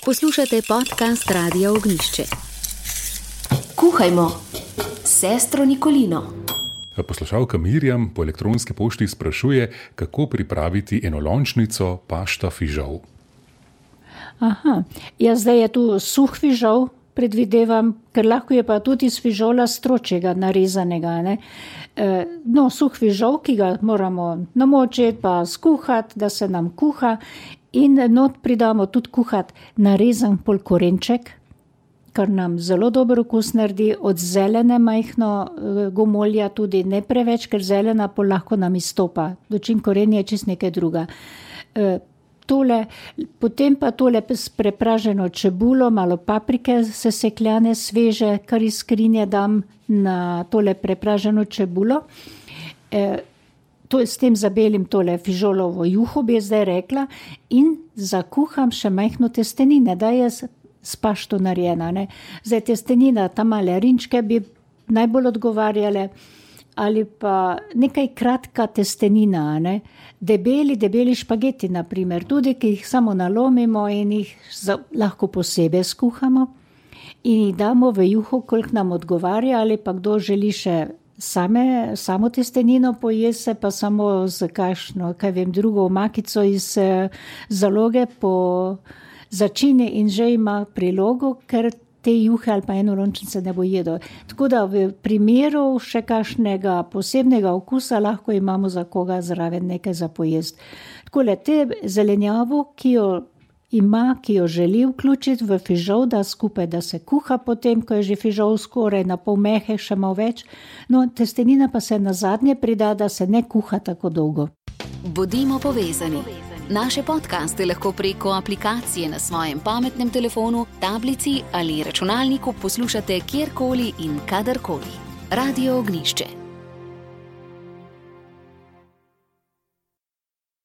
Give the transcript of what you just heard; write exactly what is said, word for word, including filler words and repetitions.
Poslušate podcast Radia Ognjišče. Kuhajmo s sestro Nikolino. Poslušalka Mirjam po elektronski pošti sprašuje, kako pripraviti enolončnico pašta fižol. Aha, ja, zdaj je tu suh fižol, predvidevam, ker lahko je pa tudi iz fižola stročjega narezanega. Ne? E, no, suh fižol, ki ga moramo namočiti pa skuhati, da se nam kuha, in not pridamo tudi kuhati narezan pol korenček, kar nam zelo dober okus naredi, od zelene majhno gomolja tudi ne preveč, ker zelena pol lahko nam izstopa, dočim korenje je čist nekaj druga. E, tole, potem pa tole s prepraženo čebulo, malo paprike sesekljane, sveže, kar iz skrinje dam na tole prepraženo čebulo. E, to, s tem zabelim tole fižolovo juho, bi zdaj rekla, in zakuham še majhno testenine, da je s pašto narejena. Ne. Zdaj testenina, ta male rinčke bi najbolj odgovarjale, ali pa nekaj kratka testenina, ne. Debeli, debeli špageti, na primer, tudi, ki jih samo nalomimo in jih za, lahko posebej skuhamo in jih damo v juho, koliko nam odgovarja, ali pa kdo želi še same, samo testenino pojese, pa samo z kakšno, kaj vem, drugo omakico iz zaloge po začini in že ima prilogo, ker te juhe ali pa enolončnice ne bo jedel. Tako da v primeru še kakšnega posebnega okusa lahko imamo za koga zraven nekaj za pojesti. Tako le te zelenjavo, ki jo ima, ki jo želi vključiti v fižol, da skupaj, da se kuha potem, ko je že fižol skoraj na pol mehek, še malo več. No, testenina pa se nazadnje prida, da se ne kuha tako dolgo. Bodimo povezani. Naše podcaste lahko preko aplikacije na svojem pametnem telefonu, tablici ali računalniku poslušate kjerkoli in kadarkoli. Radio Ognjišče.